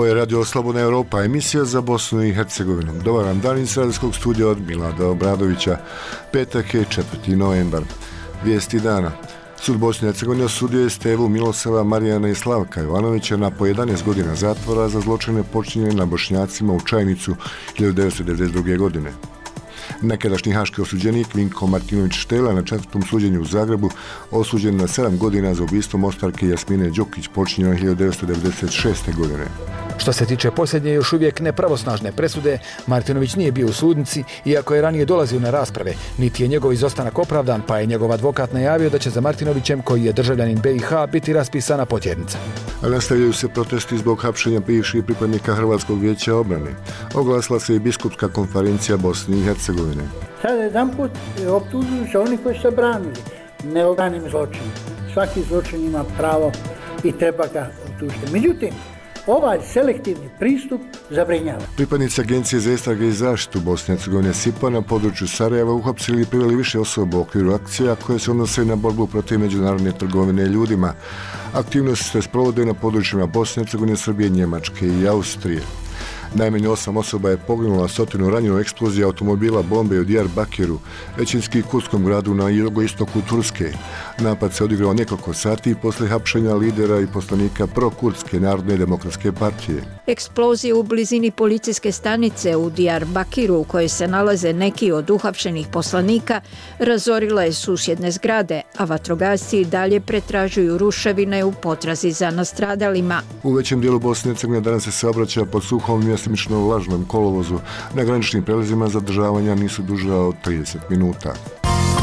Ovo je Radio Slobodna Europa, emisija za Bosnu i Hercegovinu. Dobar vam dan iz radijskog studija od Milada Obradovića. Petak je 4. novembar. Vijesti dana. Sud Bosne i Hercegovine osudio je Stevu, Milosava, Marijana i Slavka Jovanovića na po 11 godina zatvora za zločine počinjene na Bošnjacima u Čajnicu 1992. godine. Nekadašnji haški osuđenik Vinko Martinović Štela na 4. suđenju u Zagrebu osuđen na 7 godina za ubistvo Mostarke Jasmine Đokić počinjeno 1996. godine. Što se tiče posljednje još uvijek nepravosnažne presude, Martinović nije bio u sudnici, iako je ranije dolazio na rasprave, niti je njegov izostanak opravdan, pa je njegov advokat najavio da će za Martinovićem, koji je državljanin BiH, biti raspisana potjernica. Nastavljaju se protesti zbog hapšenja bivših pripadnika Hrvatskog vijeća obrane. Oglasila se i biskupska konferencija Bosne i Hercegovine. Sada jedanput optužuju se oni koji su branili neobranim zločinom. Svaki zločin ima pravo i treba ga optužiti. Međutim, ovaj selektivni pristup zabrinjava. Pripadnici Agencije za istrage i zaštitu Bosne i Hercegovine SIPA na području Sarajeva uhapsili i priveli više osoba u okviru akcija koje se odnose na borbu protiv međunarodne trgovine ljudima. Aktivnosti se sprovode na područjima Bosne i Hercegovine, Srbije, Njemačke i Austrije. Najmanje 8 osoba je poginulo, a 100 ranjeno eksplozija automobila bombe u Diyarbakiru, većinski kurdskom gradu na jugoistoku Turske. Napad se odigrao nekoliko sati posle hapšenja lidera i poslanika prokurdske Narodne demokratske partije. Eksplozije u blizini policijske stanice u Diyarbakiru, u kojoj se nalaze neki od uhapšenih poslanika, razorile je susjedne zgrade, a vatrogasci i dalje pretražuju ruševine u potrazi za nastradalima. U većem dijelu Bosne i Hercegovine danas se obraća pod suhom mjestimično vlažnom kolovozu. Na graničnim prelazima zadržavanja nisu duža od 30 minuta.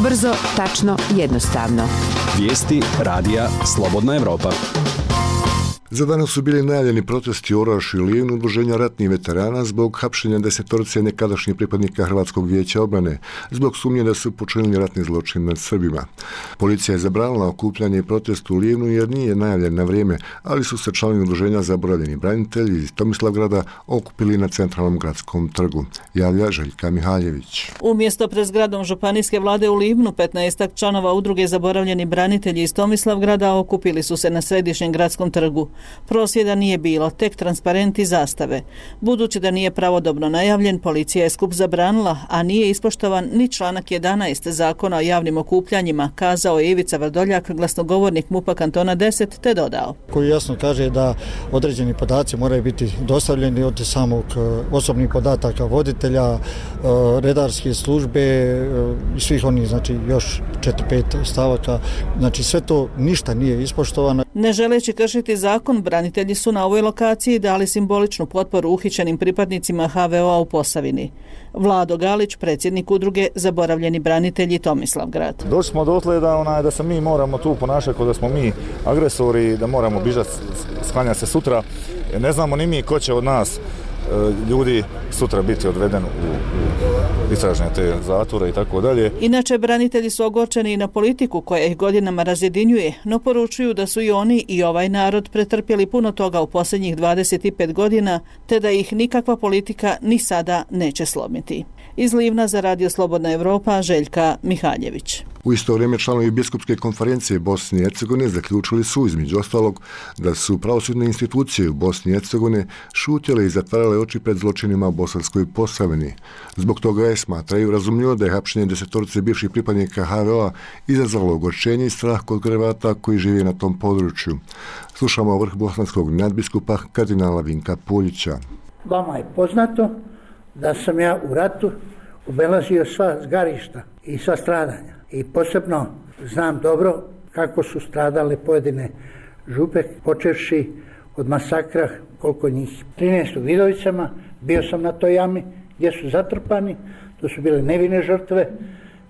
Brzo, tačno, jednostavno. Vijesti radija Slobodna Europa. Za danas su bili najavljeni protesti u Orašju i Livnu udruženja ratnih veterana zbog hapšenja 10 nekadašnjih pripadnika Hrvatskog vijeća obrane, zbog sumnje da su počinili ratni zločin nad Srbima. Policija je zabranila okupljanje i protest u Livnu jer nije najavljen na vrijeme, ali su se članovi udruženja Zaboravljeni branitelji iz Tomislavgrada okupili na centralnom gradskom trgu, javlja Željka Mihaljević. Umjesto pred zgradom županijske vlade u Livnu, 15 članova udruge Zaboravljeni branitelji iz Tomislavgrada okupili su se na središnjem gradskom trgu. Prosvjeda nije bilo, tek transparenti i zastave. Budući da nije pravodobno najavljen, policija je skup zabranila, a nije ispoštovan ni članak 11 Zakona o javnim okupljanjima, kazao je Ivica Vrdoljak, glasnogovornik MUP-a kantona 10, te dodao. Koji jasno kaže da određeni podaci moraju biti dostavljeni od samog osobnih podataka voditelja, redarske službe i svih onih, znači još 4-5 stavaka. Znači sve to ništa nije ispoštovano. Ne želeći kršiti zakon, branitelji su na ovoj lokaciji dali simboličnu potporu uhićenim pripadnicima HVO-a u Posavini. Vlado Galić, predsjednik udruge Zaboravljeni branitelji Tomislavgrad. Došli smo dotle da se mi moramo tu ponašati kao da smo mi agresori, da moramo bižati, sklanjati se sutra. Ne znamo ni mi ko će od nas ljudi sutra biti odveden u istražne te zatvore i tako dalje. Inače, branitelji su ogorčeni i na politiku koja ih godinama razjedinjuje, no poručuju da su i oni i ovaj narod pretrpjeli puno toga u posljednjih 25 godina, te da ih nikakva politika ni sada neće slomiti. Iz Livna za Radio Slobodna Europa, Željka Mihaljević. U isto vrijeme članovi biskupske konferencije Bosne i Hercegovine zaključili su, između ostalog, da su pravosudne institucije u Bosni i Hercegovine šutjele i zatvarale oči pred zločinima u Bosanskoj Posavini. Zbog toga je, smatraju, razumljivo da je hapšenje 10 bivših pripadnika HVO-a izazvalo ogorčenje i strah kod Hrvata koji žive na tom području. Slušamo vrh bosanskog nadbiskupa kardinala Vinka Puljića. Vama je poznato da sam ja u ratu obelazio sva zgarišta i sva stradanja. I posebno znam dobro kako su stradale pojedine župe, počevši od masakra, koliko njih. 13 u Vidovicama, bio sam na toj jami gdje su zatrpani, to su bile nevine žrtve,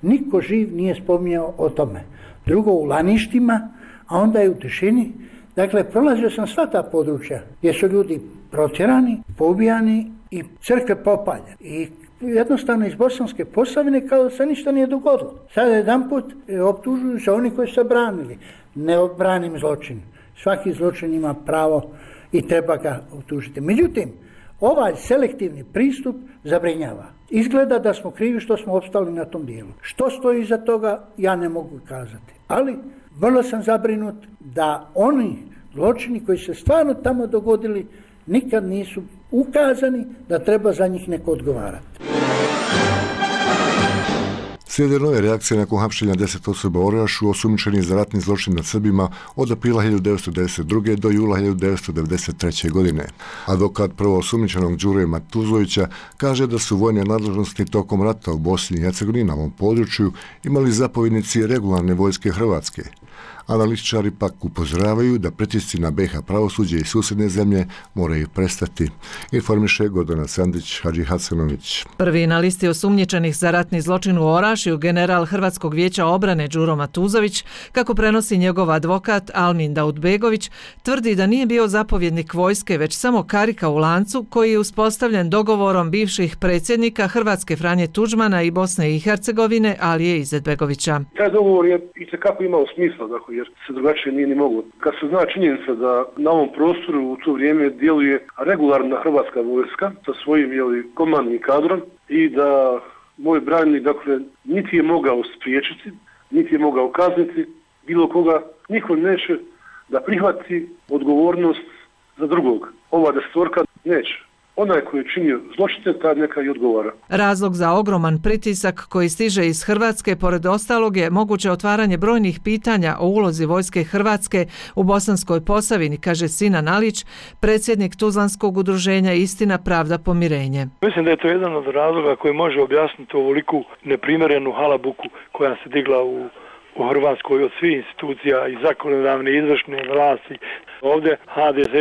niko živ nije spominjao o tome. Drugo u Laništima, a onda i u Tišini. Dakle, prolazio sam sva ta područja gdje su ljudi protjerani, poubijani i crkve popaljene. I jednostavno iz Bosanske Posavine kao da se ništa nije dogodilo. Sada jedanput optužuju se oni koji su branili neobranim zločinom. Svaki zločin ima pravo i treba ga optužiti. Međutim, ovaj selektivni pristup zabrinjava. Izgleda da smo krivi što smo opstali na tom dijelu. Što stoji iza toga, ja ne mogu kazati. Ali vrlo sam zabrinut da oni zločini koji se stvarno tamo dogodili nikad nisu ukazani da treba za njih neko odgovarati. Slijede nove reakcije nakon hapšenja 10 osoba u Orašu osumnjičenih za ratni zločin nad Srbima od aprila 1992. do jula 1993. godine. Advokat prvo osumnjičenog Đure Matuzovića kaže da su vojne nadležnosti tokom rata u Bosni i Hercegovini na ovom području imali zapovjednici regularne vojske Hrvatske. Analitičari pak upozoravaju da pritisci na BiH pravosuđe i susjedne zemlje moraju prestati. Informiše Gordana Sandić Hadži Hasanović. Prvi na listi osumnjičenih za ratni zločin u Orašju, general Hrvatskog vijeća obrane Đuro Matuzović, kako prenosi njegov advokat Almin Daudbegović, tvrdi da nije bio zapovjednik vojske, već samo karika u lancu koji je uspostavljen dogovorom bivših predsjednika Hrvatske Franje Tuđmana i Bosne i Hercegovine Alije Izetbegovića. Taj dogovor je itekako imao smisla, dakle, jer se drugačije nije ni moglo. Kad se zna činjenica da na ovom prostoru u to vrijeme djeluje regularna hrvatska vojska sa svojim komandnim kadrom i da moj branjenik, dakle, niti je mogao spriječiti, niti je mogao kazniti bilo koga, niko neće da prihvati odgovornost za drugog. Ova desetorka neće. Onaj koji je činio zločine, tad neka i odgovara. Razlog za ogroman pritisak koji stiže iz Hrvatske, pored ostalog, je moguće otvaranje brojnih pitanja o ulozi vojske Hrvatske u Bosanskoj Posavini, kaže Sinan Alić, predsjednik Tuzlanskog udruženja Istina, pravda, pomirenje. Mislim da je to jedan od razloga koji može objasniti ovoliku neprimjerenu halabuku koja se digla u Hrvatskoj od svih institucija i zakonodavne i izvršne vlasti. Ovdje HDZ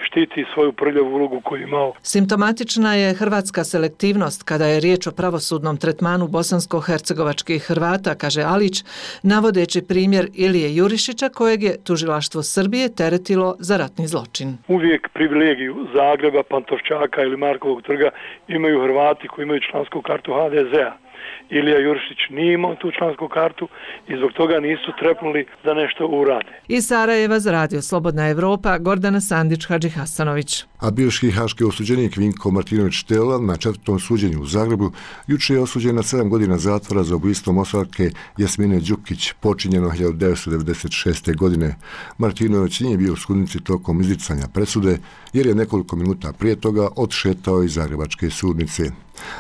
štiti svoju prljavu ulogu koju je imao. Simptomatična je hrvatska selektivnost kada je riječ o pravosudnom tretmanu bosansko-hercegovačkih Hrvata, kaže Alić, navodeći primjer Ilije Jurišića kojeg je tužilaštvo Srbije teretilo za ratni zločin. Uvijek privilegiju Zagreba, Pantovčaka ili Markovog trga imaju Hrvati koji imaju člansku kartu HDZ-a. Ilija Jurišić nije imao tu člansku kartu i zbog toga nisu trepnuli da nešto urade. Iz Sarajeva za radio Slobodna Evropa, Gordana Sandić Hadži Hasanović. A bivši haški osuđenik Vinko Martinović Tela na 4. suđenju u Zagrebu juče je osuđen na 7 godina zatvora za ubojstvo Moslavke Jasmine Đukić, počinjeno 1996. godine. Martinović nije bio u sudnici tokom izricanja presude jer je nekoliko minuta prije toga odšetao iz zagrebačke sudnice.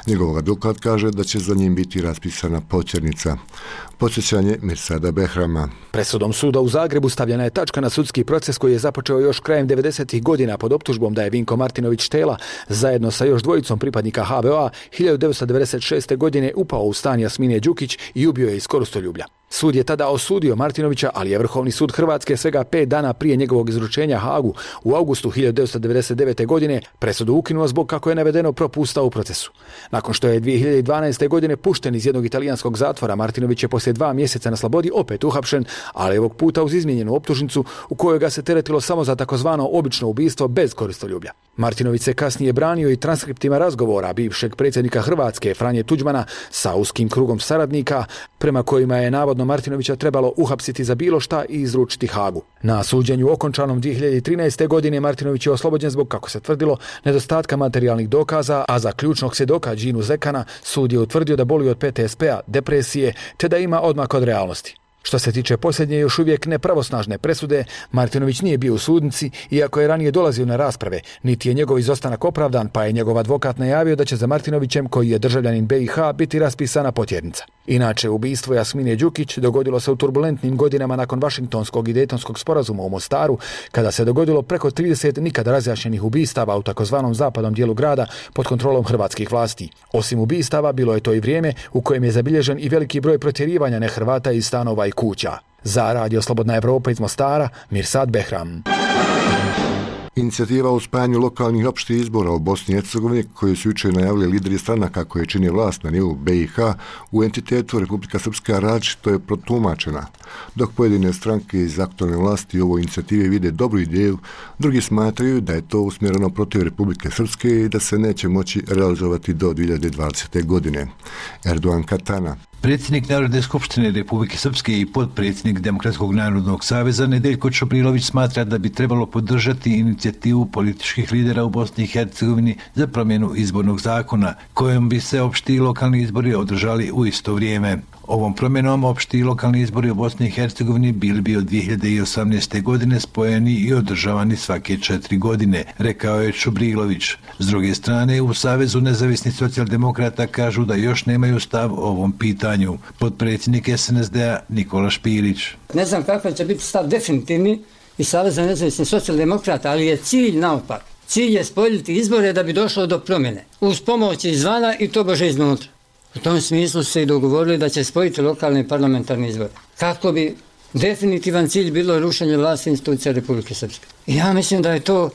Njegov advokat kaže da će za njim biti raspisana potjernica. Podsjećanje Mirsada Behrama. Presudom suda u Zagrebu stavljena je tačka na sudski proces koji je započeo još krajem 90. godina pod optužbom da je Vinko Martinović Tela zajedno sa još dvojicom pripadnika HVO-a 1996. godine upao u stan Jasmine Đukić i ubio je iz koristoljublja. Sud je tada osudio Martinovića, ali je Vrhovni sud Hrvatske svega 5 dana prije njegovog izručenja Hagu u augustu 1999. godine presudu ukinuo zbog, kako je navedeno, propusta u procesu. Nakon što je 2012. godine pušten iz jednog italijanskog zatvora, Martinović je poslije 2 mjeseca na slobodi opet uhapšen, ali ovog puta uz izmijenjenu optužnicu u kojoj ga se teretilo samo za takozvano obično ubistvo bez koristoljublja. Martinović se kasnije branio i transkriptima razgovora bivšeg predsjednika Hrvatske Franje Tuđmana sa uskim krugom saradnika, prema kojima je navodno Martinovića trebalo uhapsiti za bilo šta i izručiti Hagu. Na suđenju okončanom 2013. godine Martinović je oslobođen zbog, kako se tvrdilo, nedostatka materijalnih dokaza, a za ključnog svjedoka Đinu Zekana sud je utvrdio da boli od PTSP-a, depresije, te da ima odmak od realnosti. Što se tiče posljednje još uvijek nepravosnažne presude, Martinović nije bio u sudnici, iako je ranije dolazio na rasprave, niti je njegov izostanak opravdan, pa je njegov advokat najavio da će za Martinovićem, koji je državljanin BiH, biti raspisana potjernica. Inače, ubistvo Jasmine Đukić dogodilo se u turbulentnim godinama nakon Vašingtonskog i Dejtonskog sporazuma u Mostaru, kada se dogodilo preko 30 nikad razjašnjenih ubistava u takozvanom zapadnom dijelu grada pod kontrolom hrvatskih vlasti. Osim ubistava, bilo je to i vrijeme u kojem je zabilježen i veliki broj protjerivanja nehrvata iz stanova i kuća. Za radio Slobodna Evropa iz Mostara, Mirsad Behram. Inicijativa o spajanju lokalnih opštih izbora u Bosni i Hercegovini, koju su jučer najavili lideri stranaka koje čine vlast na nivou BiH u entitetu Republika Srpska, različito je protumačena. Dok pojedine stranke iz aktualne vlasti u ovoj inicijativi vide dobru ideju, drugi smatraju da je to usmjereno protiv Republike Srpske i da se neće moći realizovati do 2020. godine. Erdogan Katana. Predsjednik Narodne skupštine Republike Srpske i potpredsjednik Demokratskog narodnog saveza Nedeljko Čobrilović smatra da bi trebalo podržati inicijativu političkih lidera u Bosni i Hercegovini za promjenu izbornog zakona, kojom bi se opšti lokalni izbori održali u isto vrijeme. Ovom promjenom opšti i lokalni izbori u Bosni i Hercegovini bili bi od 2018. godine spojeni i održavani svake 4 godine, rekao je Čubrilović. S druge strane, u Savezu nezavisnih socijaldemokrata kažu da još nemaju stav o ovom pitanju. Potpredsjednik SNSD-a Nikola Špirić. Ne znam kakav će biti stav definitivni i Saveza nezavisnih socijaldemokrata, ali je cilj naopak. Cilj je spoljiti izbore da bi došlo do promjene. Uz pomoć izvana i to bože iznutra. U tom smislu su se i dogovorili da će spojiti lokalne i parlamentarne izbore. Kako bi definitivan cilj bilo rušenje vlasti institucija Republike Srpske. I ja mislim da je to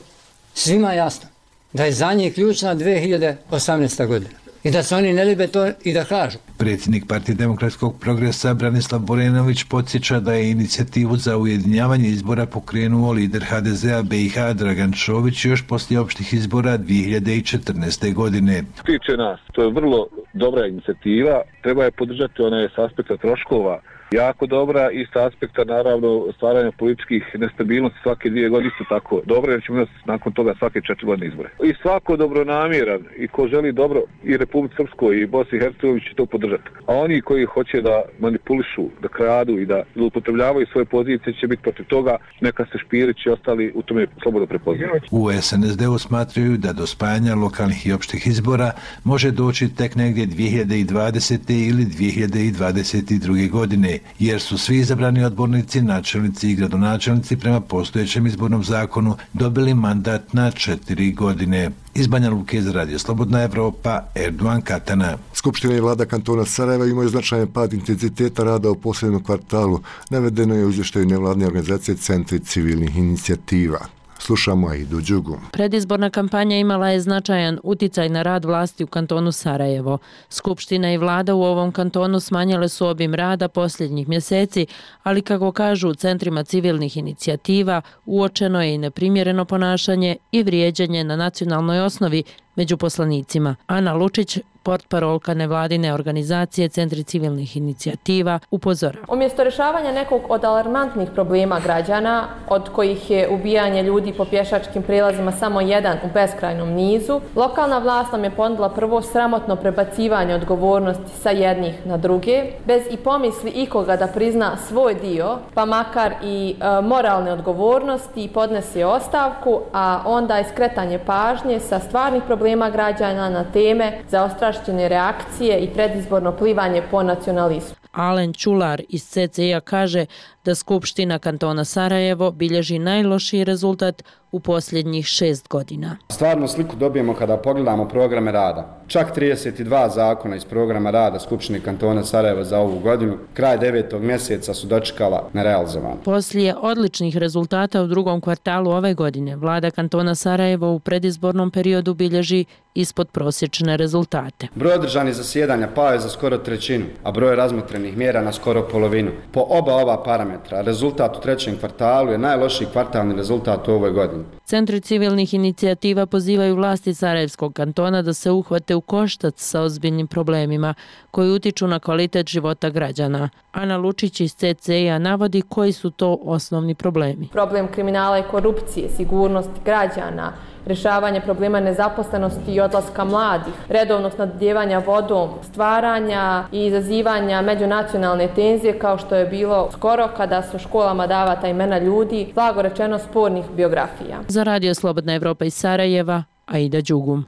svima jasno. Da je za njih ključna 2018. godina. I da se oni ne libe to i da kažu. Predsjednik Partije demokratskog progresa Branislav Borenović podsjeća da je inicijativu za ujedinjavanje izbora pokrenuo lider HDZ-a BiH Dragan Čović još poslije opštih izbora 2014. godine. Tiče nas, to je vrlo dobra inicijativa, treba je podržati, ona je s aspekta troškova jako dobra i s aspekta naravno stvaranja političkih nestabilnosti svake 2 godine isto tako dobro, jer ćemo imati nakon toga svake 4 godine izbore. I svako dobronamjeran i ko želi dobro i Republici Srpskoj i Bosni i Hercegovini će to podržati. A oni koji hoće da manipulišu, da kradu i da zloupotrebljavaju svoje pozicije će biti protiv toga, neka se Špirić i ostali u tome slobodno prepoznaju. U SNSD-u smatraju da do spajanja lokalnih i opštih izbora može doći tek negdje 2020. ili 2022. godine, jer su svi izabrani odbornici, načelnici i gradonačelnici prema postojećem izbornom zakonu dobili mandat na 4 godine. Iz Banja Luke za Radio Slobodna Evropa, Erdogan Katana. Skupština i vlada kantona Sarajeva imaju značajan pad intenziteta rada u posljednjem kvartalu. Navedeno je u izvještaju nevladne organizacije Centri civilnih inicijativa. Slušamo Aidu Đugu. Predizborna kampanja imala je značajan uticaj na rad vlasti u kantonu Sarajevo. Skupština i vlada u ovom kantonu smanjile su obim rada posljednjih mjeseci, ali kako kažu u centrima civilnih inicijativa, uočeno je i neprimjereno ponašanje i vrijeđanje na nacionalnoj osnovi među poslanicima. Ana Lučić, portparolka nevladine organizacije Centri civilnih inicijativa, upozorava. Umjesto rješavanja nekog od alarmantnih problema građana, od kojih je ubijanje ljudi po pješačkim prilazima samo jedan u beskrajnom nizu, lokalna vlast nam je ponudila prvo sramotno prebacivanje odgovornosti sa jednih na druge, bez i pomisli ikoga da prizna svoj dio, pa makar i moralne odgovornosti, podnese ostavku, a onda i skretanje pažnje sa stvarnih problema građana na teme za ostrašćene reakcije i predizborno plivanje po nacionalizmu. Alen Čular iz CCI-a kaže da Skupština kantona Sarajevo bilježi najlošiji rezultat u posljednjih 6 godina. Stvarnu sliku dobijemo kada pogledamo programe rada. Čak 32 zakona iz programa rada Skupštine kantona Sarajevo za ovu godinu, kraj 9. mjeseca su dočekala nerealizovano. Poslije odličnih rezultata u drugom kvartalu ove godine, vlada kantona Sarajevo u predizbornom periodu bilježi ispod prosječne rezultate. Broj održanih zasjedanja pao je za skoro trećinu, a broj razmotrenih mjera na skoro polovinu. Po oba ova parametra, rezultat u trećem kvartalu je najlošiji kvartalni rezultat u ovoj godini. Centri civilnih inicijativa pozivaju vlasti Sarajevskog kantona da se uhvate u koštac sa ozbiljnim problemima koji utiču na kvalitet života građana. Ana Lučić iz CCI-a navodi koji su to osnovni problemi. Problem kriminala i korupcije, sigurnost građana, rješavanje problema nezaposlenosti i odlaska mladih, redovnog snabdijevanja vodom, stvaranja i izazivanja međunacionalne tenzije kao što je bilo skoro kada su školama davata imena ljudi, blago rečeno spornih biografija. Za Radio Slobodna Evropa iz Sarajeva, Aida Đugum.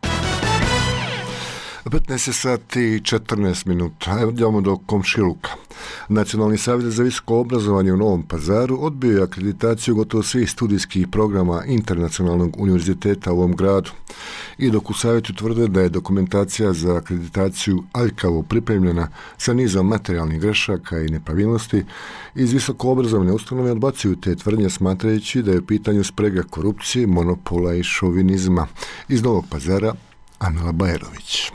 15 sati i 14 minuta. Evo idemo do komšiluka. Nacionalni savjet za visoko obrazovanje u Novom Pazaru odbio je akreditaciju gotovo svih studijskih programa Internacionalnog univerziteta u ovom gradu. I dok u savjetu tvrde da je dokumentacija za akreditaciju aljkavo pripremljena sa nizom materijalnih grešaka i nepravilnosti, iz visoko obrazovne ustanove odbacuju te tvrdnje smatrajući da je u pitanju sprega korupcije, monopola i šovinizma. Iz Novog Pazara, Amila Bajerović.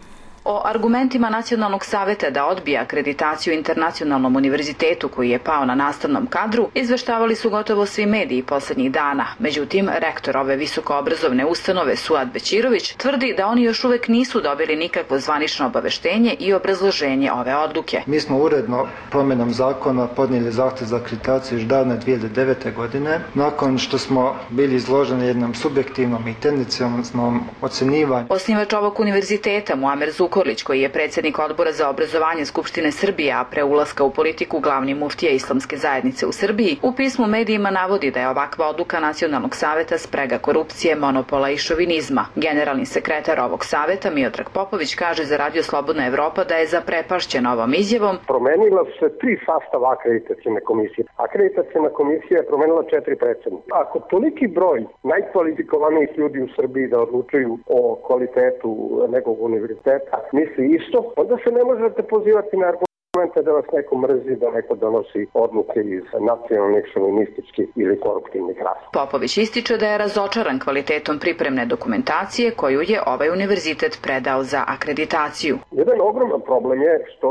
O argumentima Nacionalnog savjeta da odbija akreditaciju Internacionalnom univerzitetu koji je pao na nastavnom kadru izveštavali su gotovo svi mediji posljednjih dana. Međutim, rektor ove visokoobrazovne ustanove Suad Bećirović tvrdi da oni još uvijek nisu dobili nikakvo zvanično obaveštenje i obrazloženje ove odluke. Mi smo uredno promjenom zakona podnijeli zahtjev za akreditaciju još davne 2009. godine, nakon što smo bili izloženi jednom subjektivnom i tendencijalnom ocjenjivanju. Osnivač ovog univerziteta Muamer Zukorlić Zukorlić, koji je predsjednik Odbora za obrazovanje Skupštine Srbije, a pre ulaska u politiku glavni muftija Islamske zajednice u Srbiji, u pismu medijima navodi da je ovakva odluka Nacionalnog saveta sprega korupcije, monopola i šovinizma. Generalni sekretar ovog saveta, Miodrag Popović, kaže za Radio Slobodna Evropa da je zaprepašćen ovom izjavom. Promenila su se 3 sastava akreditacijne komisije. Akreditacijna komisija je promenila 4 predsjednika. Ako toliki broj najkvalifikovanijih ljudi u Srbiji da odlučuju o kvalitetu nekog univerziteta misli isto, onda se ne možete pozivati na argumente da vas neko mrzi, da neko donosi odluke iz nacionalnih, šovinističkih ili koruptivnih razloga. Popović ističe da je razočaran kvalitetom pripremne dokumentacije koju je ovaj univerzitet predao za akreditaciju. Jedan ogroman problem je što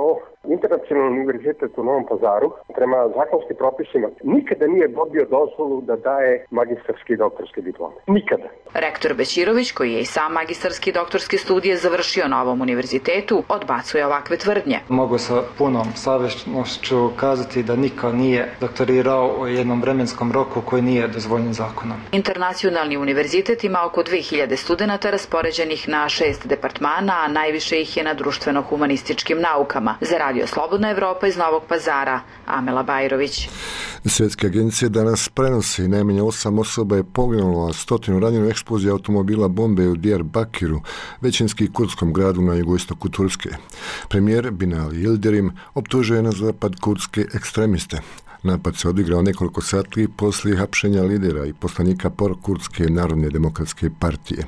Internacionalni univerzitet u Novom Pazaru prema zakonskim propisima nikada nije dobio dozvolu da daje magistarski i doktorski diplome. Nikada. Rektor Bećirović, koji je i sam magistarski i doktorski studije završio na ovom univerzitetu, odbacuje ovakve tvrdnje. Mogu sa punom savješću kazati da niko nije doktorirao u jednom vremenskom roku koji nije dozvoljen zakonom. Internacionalni univerzitet ima oko 2000 studenata raspoređenih na 6 departmana, a najviše ih je na društveno-humanističkim naukama. Za Radio Slobodna Evropa iz Novog Pazara, Amela Bajrović. Svjetske agencije danas prenose najmanje 8 osoba je poginulo, a 100 ranjeno u eksploziji automobila bombe u Diyarbakiru, većinski kurdskom gradu na jugoistoku Turske. Premijer Binali Yildirim optužuje na zapad kurdske ekstremiste. Napad se odigrao nekoliko sati poslije hapšenja lidera i poslanika Kurdske narodne demokratske partije.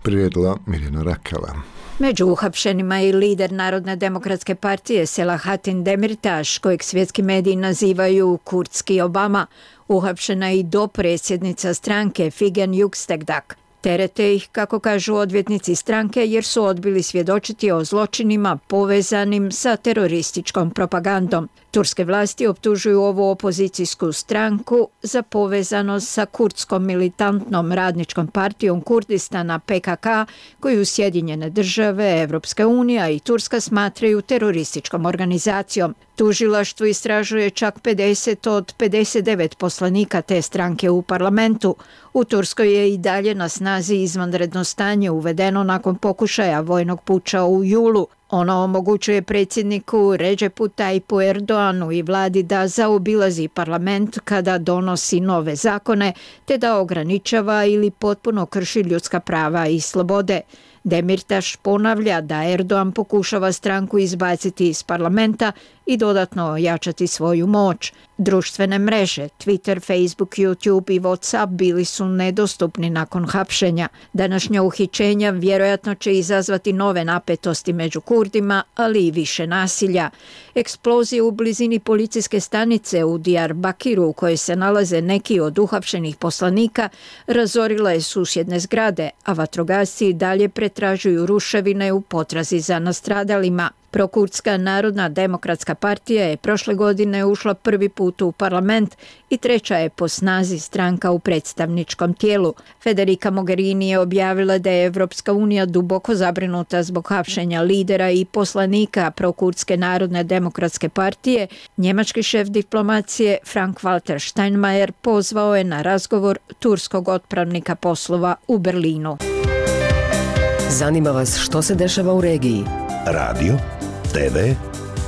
Priredila Mirjana Rakela. Među uhapšenima je i lider Narodne demokratske partije Selahattin Demirtaš, kojeg svjetski mediji nazivaju kurdski Obama. Uhapšena je i dopredsjednica stranke Figen Yüksekdag. Terete ih, kako kažu odvjetnici stranke, jer su odbili svjedočiti o zločinima povezanim sa terorističkom propagandom. Turske vlasti optužuju ovu opozicijsku stranku za povezanost sa kurdskom militantnom radničkom partijom Kurdistana PKK, koju Sjedinjene države, Evropska unija i Turska smatraju terorističkom organizacijom. Tužilaštvo istražuje čak 50 od 59 poslanika te stranke u parlamentu. U Turskoj je i dalje na snazi izvanredno stanje uvedeno nakon pokušaja vojnog puča u julu. Ono omogućuje predsjedniku Recepu Tayyipu Erdoğanu i vladi da zaobilazi parlament kada donosi nove zakone, te da ograničava ili potpuno krši ljudska prava i slobode. Demirtaš ponavlja da Erdoğan pokušava stranku izbaciti iz parlamenta i dodatno ojačati svoju moć. Društvene mreže, Twitter, Facebook, YouTube i WhatsApp bili su nedostupni nakon hapšenja. Današnja uhićenja vjerojatno će izazvati nove napetosti među Kurdima, ali i više nasilja. Eksplozije u blizini policijske stanice u Diyarbakiru, u kojoj se nalaze neki od uhapšenih poslanika, razorila je susjedne zgrade, a vatrogasci dalje pretražuju ruševine u potrazi za nastradalima. Prokurdska Narodna demokratska partija je prošle godine ušla prvi put u parlament i treća je po snazi stranka u predstavničkom tijelu. Federica Mogherini je objavila da je Evropska unija duboko zabrinuta zbog hapšenja lidera i poslanika Prokurdske Narodne demokratske partije. Njemački šef diplomacije Frank-Walter Steinmeier pozvao je na razgovor turskog otpravnika poslova u Berlinu. Zanima vas što se dešava u regiji? Radio, TV,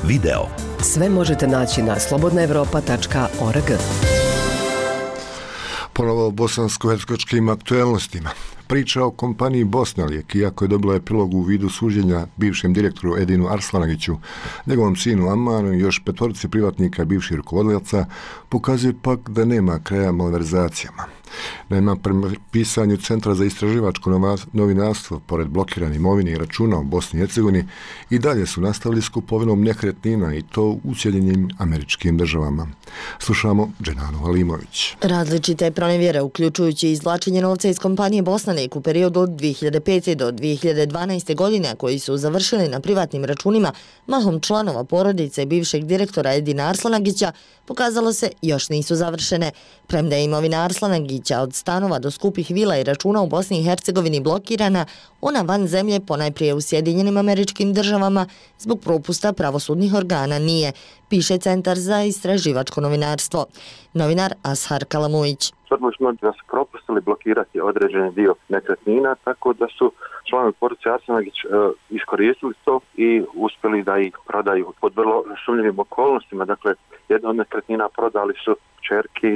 video. Sve možete naći na slobodnaevropa.org. Ponovo o bosansko-hercegovačkim aktuelnostima. Priča o kompaniji Bosnalijek, iako je dobila epilog u vidu suđenja bivšem direktoru Edinu Arslanagiću, njegovom sinu Amanu i još 5 privatnika bivših rukovodilaca, pokazuje pak da nema kraja malverzacijama. Naime, prema pisanju Centra za istraživačko novinarstvo, pored blokirane imovine i računa u Bosni i Hercegovini, i dalje su nastavili s kupovinom nekretnina i to u Sjedinjenim Američkim Državama. Slušamo Dženanu Halimović. Različite pronevjere, uključujući izvlačenje novca iz kompanije Bosnalijek u periodu od 2005. do 2012. godine, koji su završili na privatnim računima mahom članova porodice bivšeg direktora Edina Arslanagića, pokazalo se još nisu završene. Premda je imovina Arslanagića od stanova do skupih vila i računa u Bosni i Hercegovini blokirana, ona van zemlje, ponajprije u Sjedinjenim Američkim Državama, zbog propusta pravosudnih organa nije, piše Centar za istraživačko novinarstvo. Novinar Ashar Kalamujić. Odlučno da su propustili blokirati određeni dio nekretnina, tako da su članovi porodice Arsenović iskoristili to i uspjeli da ih prodaju pod vrlo sumnjivim okolnostima. Dakle, jedna od nekretnina prodali su kćerki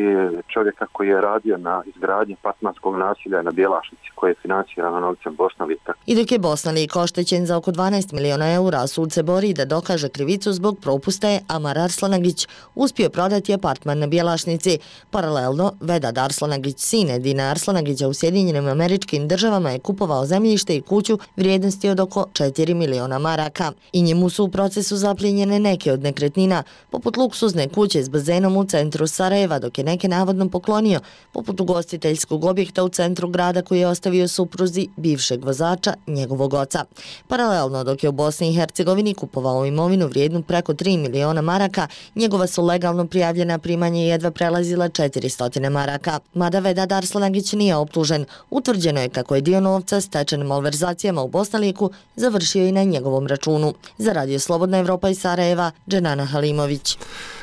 čovjeka koji je radio na izgradnji apartmanskog naselja na Bjelašnici koje je financirano novcem Bosnalika. I dok je Bosnalik oštećen za oko 12 miliona eura, sud se bori da dokaže krivicu zbog propusta je Amar Arslanagić uspio prodati apartman na Bjelašnici. Paralelno, Vedad Arslanagić, sin Edina Arslanagića u Sjedinjenim Američkim Državama je kupovao zemljište i kuću vrijednosti od oko 4 miliona maraka. I njemu su u procesu zaplijenjene neke od nekretnina, poput luksuzne kuće s bazenom u centru Sarajeva, dok je neke navodno poklonio, poput ugostiteljskog objekta u centru grada koji je ostavio supruzi bivšeg vozača, njegovog oca. Paralelno, dok je u Bosni i Hercegovini kupovao imovinu vrijednu preko 3 miliona maraka, njegova su legalno prijavljena primanja jedva prelazila 400 maraka. Mada Vedad Arslanagić nije optužen, utvrđeno je kako je dio novca stečen malverzacijama u Bosnaliku završio i na njegovom računu. Za Radio Slobodna Evropa iz Sarajeva, Dženana Halimović.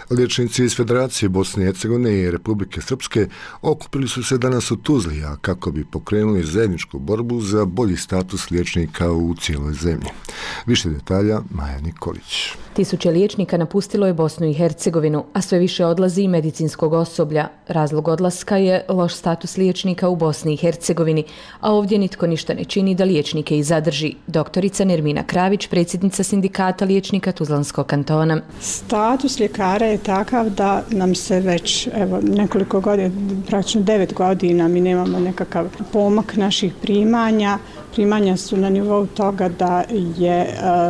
Liječnici iz Federacije Bosne i Hercegovine i Republike Srpske okupili su se danas u Tuzli, a kako bi pokrenuli zajedničku borbu za bolji status liječnika u cijeloj zemlji. Više detalja Maja Nikolić. Tisuće liječnika napustilo je Bosnu i Hercegovinu, a sve više odlazi i medicinskog osoblja. Razlog odlaska je loš status liječnika u Bosni i Hercegovini, a ovdje nitko ništa ne čini da liječnike i zadrži. Doktorica Nermina Kravić, predsjednica sindikata liječnika Tuzlanskog kantona. Status ljekara je takav da nam se već nekoliko godina, praktično 9 godina, mi nemamo nekakav pomak naših primanja. Primanja su na nivou toga da je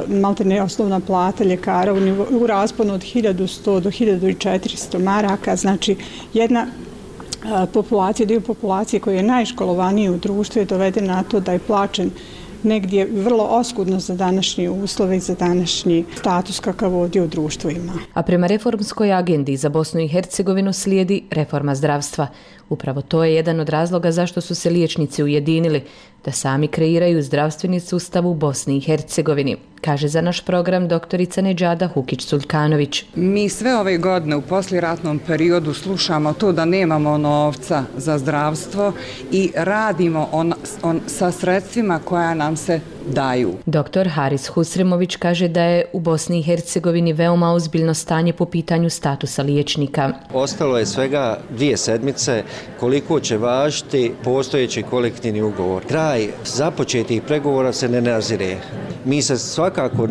maltene osnovna plata ljekara u rasponu od 1100 do 1400 maraka, znači jedna populacija, dio populacije koji je najškolovaniji u društvu je doveden na to da je plaćen negdje vrlo oskudno za današnje uslove i za današnji status kakav ovdje u društvu ima. A prema reformskoj agendi za Bosnu i Hercegovinu slijedi reforma zdravstva. Upravo to je jedan od razloga zašto su se liječnici ujedinili, da sami kreiraju zdravstveni sustav u Bosni i Hercegovini, kaže za naš program doktorica Nedžada Hukić-Suljkanović. Mi sve ove godine u poslijeratnom periodu slušamo to da nemamo novca za zdravstvo i radimo sa sredstvima koja nam se daju. Doktor Haris Husremović kaže da je u Bosni i Hercegovini veoma ozbiljno stanje po pitanju statusa liječnika. Ostalo je svega 2 sedmice koliko će važiti postojeći kolektivni ugovor. Kraj započetih pregovora se ne nazire. Mi se svakako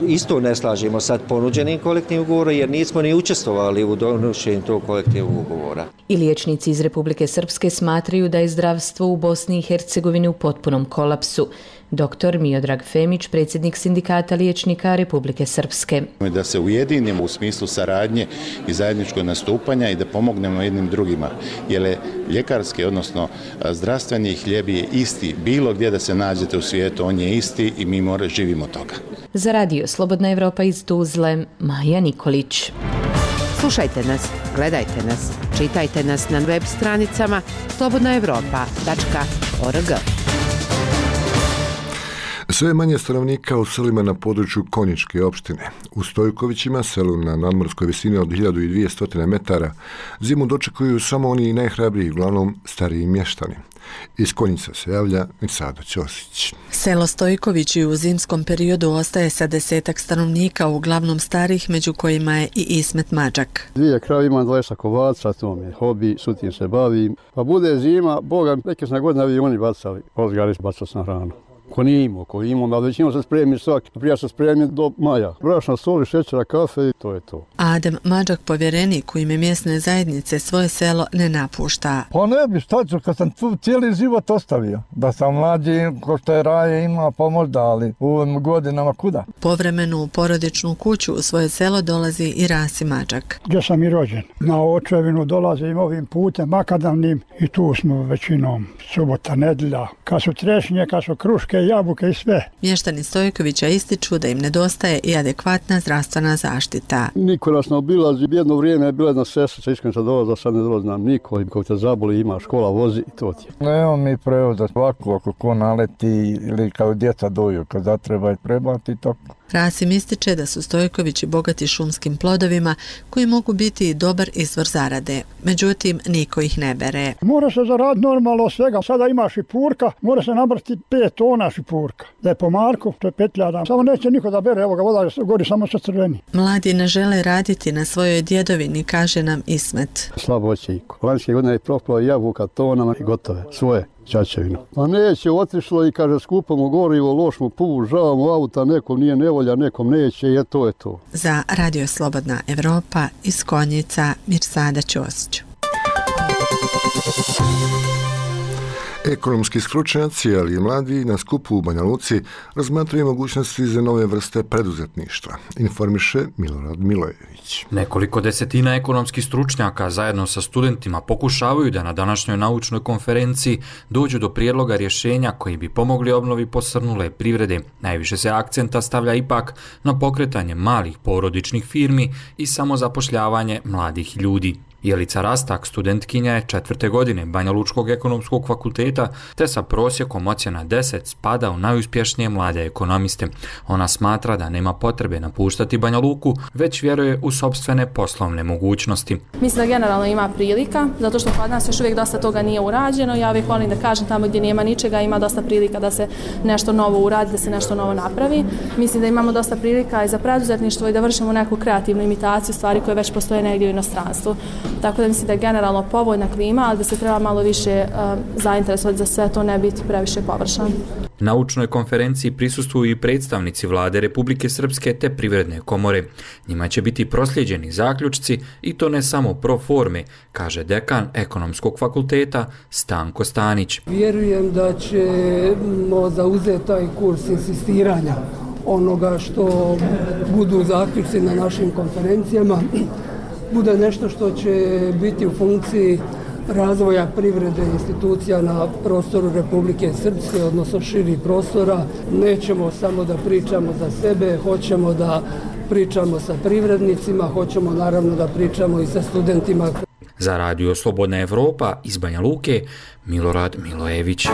isto ne slažemo sad ponuđenim kolektivnim ugovorom jer nismo ni učestvovali u donošenju tog kolektivnog ugovora. I liječnici iz Republike Srpske smatraju da je zdravstvo u Bosni i Hercegovini u potpunom kolapsu. Dr. Miodrag Femić, predsjednik sindikata liječnika Republike Srpske. Da se ujedinimo u smislu saradnje i zajedničkog nastupanja i da pomognemo jednim drugima. Jer ljekarski, odnosno zdravstveni hljeb je isti. Bilo gdje da se nađete u svijetu, on je isti i mi živimo toga. Za Radio Slobodna Evropa iz Tuzle, Maja Nikolić. Slušajte nas, gledajte nas, čitajte nas na web stranicama slobodnaevropa.org. Sve manje stanovnika u selima na području Konjičke opštine. U Stojkovićima, selu na nadmorskoj visini od 1200 metara, zimu dočekuju samo oni najhrabriji, uglavnom stariji mještani. Iz Konjica se javlja Mirsado Ćosić. Selo Stojkovići u zimskom periodu ostaje sa 10-ak stanovnika, uglavnom starih, među kojima je i Ismet Mađak. 2 krave imam, 20 kovaca, to mi je hobi, sutim se bavim. Pa bude zima, Boga, neke sam godine avioni bacali, ozgariš bacac na hranu. Ko nije imao, da većinom se spremi svaki. Prija se spremi do maja. Brašna, soli, šećera, kafe i to je to. Adem Mađak, povjerenik u ime mjesne zajednice, svoje selo ne napušta. Pa ne bi, šta ću, kad sam tu cijeli život ostavio. Da sam mlađi, ko što je Raje ima, pa možda, ali u ovim godinama kuda. Povremenu u porodičnu kuću u svoje selo dolazi i Rasi Mađak. Gdje sam i rođen. Na očevinu dolazim ovim putem makadamnim i tu smo većinom subota, nedjelja. Kad su trešnje, kad su kruške, jabuke i sve. Mještani Stojkovića ističu da im nedostaje i adekvatna zdravstvena zaštita. Niko nas ne obilazi, jedno vrijeme je bila jedna sestrica, iskreno sad dolaza, sad ne dolazim niko, kako te zaboli, ima škola, vozi i to ti je. Evo mi prevoza ovako, ako ko naleti ili kao djeca doju, kad zatreba i prebati, tako. Rasim ističe da su Stojkovići bogati šumskim plodovima koji mogu biti dobar izvor zarade. Međutim, niko ih ne bere. Mora se zaraditi normalno svega. Sada ima šipurka, mora se nabrati 5 tona šipurka. Da je po marku, to je 5.000. Samo neće niko da bere, evo ga, voda gori samo sa crveni. Mladi ne žele raditi na svojoj djedovini, kaže nam Ismet. Slabo očiko. Lanjske godine je propalo jabuka tonama i gotove, svoje. Čačevinu. Pa neće, otišlo i kaže skupamo gorivo, loš mu puš, žavamo auta, nekom nije nevolja, nekom neće i to je to. Za Radio Slobodna Evropa iz Konjica, Mirsada Ćosić. Ekonomski stručnjaci, ali i mladi na skupu u Banja Luci razmatraju mogućnosti za nove vrste preduzetništva, informiše Milorad Milojević. Nekoliko desetina ekonomskih stručnjaka zajedno sa studentima pokušavaju da na današnjoj naučnoj konferenciji dođu do prijedloga rješenja koji bi pomogli obnovi posrnule privrede. Najviše se akcenta stavlja ipak na pokretanje malih porodičnih firmi i samozapošljavanje mladih ljudi. Jelica Rastak, studentkinja je 4. godine Banja Lučkog ekonomskog fakulteta, te sa prosjekom ocjena 10 spada u najuspješnije mlade ekonomiste. Ona smatra da nema potrebe napuštati Banja Luku, već vjeruje u sopstvene poslovne mogućnosti. Mislim da generalno ima prilika, zato što kod nas još uvijek dosta toga nije urađeno. Ja uvijek volim da kažem, tamo gdje nema ničega ima dosta prilika da se nešto novo uradi, da se nešto novo napravi. Mislim da imamo dosta prilika i za preduzetništvo i da vršimo neku kreativnu imitaciju stvari koje već postoje negdje u inostranstvu. Tako da mislim da je generalno povoljna klima, ali da se treba malo više zainteresovati za sve to, ne biti previše površan. Naučnoj konferenciji prisustvuju i predstavnici Vlade Republike Srpske te Privredne komore. Njima će biti proslijeđeni zaključci i to ne samo pro forme, kaže dekan Ekonomskog fakulteta Stanko Stanić. Vjerujem da ćemo zauzeti taj kurs insistiranja onoga što budu zaključci na našim konferencijama, bude nešto što će biti u funkciji razvoja privrede institucija na prostoru Republike Srpske, odnosno širih prostora. Nećemo samo da pričamo za sebe, hoćemo da pričamo sa privrednicima, hoćemo naravno da pričamo i sa studentima. Za Radio Slobodna Evropa iz Banja Luke, Milorad Milojević.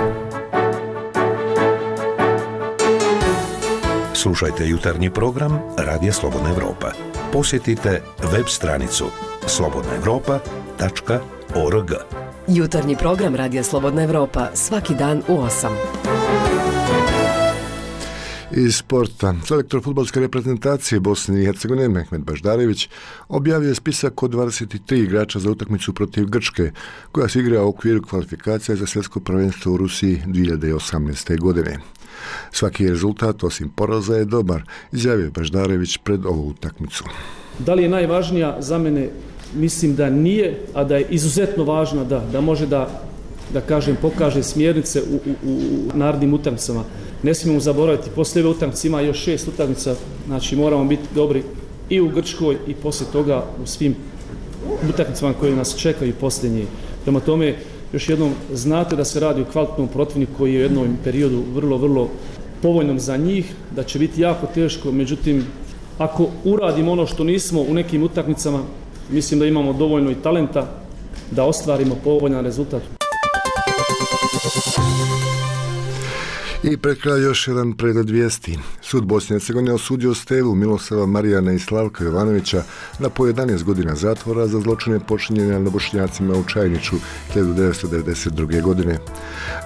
Slušajte jutarnji program Radija Slobodna Evropa. Posjetite web stranicu slobodnaevropa.org. Jutarnji program Radija Slobodna Evropa svaki dan u 8. Iz sporta, selektor fudbalske reprezentacije Bosne i Hercegovine Mehmet Baždarević objavio je spisak od 23 igrača za utakmicu protiv Grčke, koja se igra u okviru kvalifikacija za svjetsko prvenstvo u Rusiji 2018. godine. Svaki rezultat, osim poraza, je dobar, izjavio je Baždarević pred ovu utakmicu. Da li je najvažnija za mene? Mislim da nije, a da je izuzetno važna da može da kažem, pokaže smjernice u narednim utakmicama. Ne smijemo zaboraviti, poslije ove utakmice ima još 6 utakmica, znači moramo biti dobri i u Grčkoj i poslije toga u svim utakmicama koje nas čekaju posljednje. Prema tome, još jednom znate da se radi o kvalitetnom protivniku koji je u jednom periodu vrlo, vrlo povoljnom za njih, da će biti jako teško, međutim, ako uradimo ono što nismo u nekim utakmicama, mislim da imamo dovoljno i talenta da ostvarimo povoljan rezultat. I pred kraj još jedan pregled vijesti. Sud Bosne i Hercegovine osudio Stevu, Miloslava Marijana i Slavka Jovanovića na po 11 godina zatvora za zločine počinjene na Bošnjacima u Čajniću 1992. godine.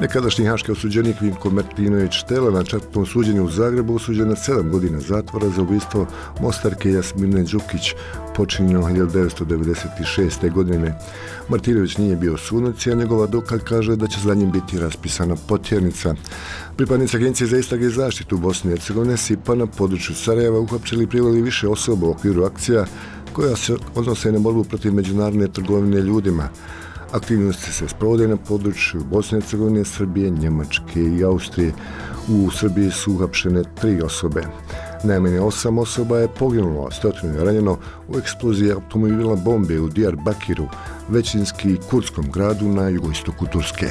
Nekadašnji haški osuđenik Vinko Martinović Tela na četvrtom suđenju u Zagrebu osuđen na 7 godina zatvora za ubistvo Mostarke Jasmine Đukić počinjeno 1996. godine. Martinović nije bio sudac, a njegov advokat kaže da će za njim biti raspisana potjernica. Pripadnici Agencije za istrage i zaštitu Bosne i Hercegovine SIPA na području Sarajeva uhapsili i priveli više osoba u okviru akcija koja se odnose na borbu protiv međunarodne trgovine ljudima. Aktivnosti se sprovode na području Bosne i Hercegovine, Srbije, Njemačke i Austrije. U Srbiji su uhapšene 3 osobe. Najmanje 8 osoba je poginulo, 100 je ranjeno u eksploziji automobila bombe u Diyarbakiru, većinski kurdskom gradu na jugoistoku Turske.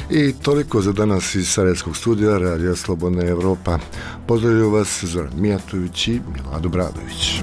I toliko za danas iz Sarajevskog studija Radija Slobodna Evropa. Pozdravljaju vas Zoran Mijatović i Milado Bradović.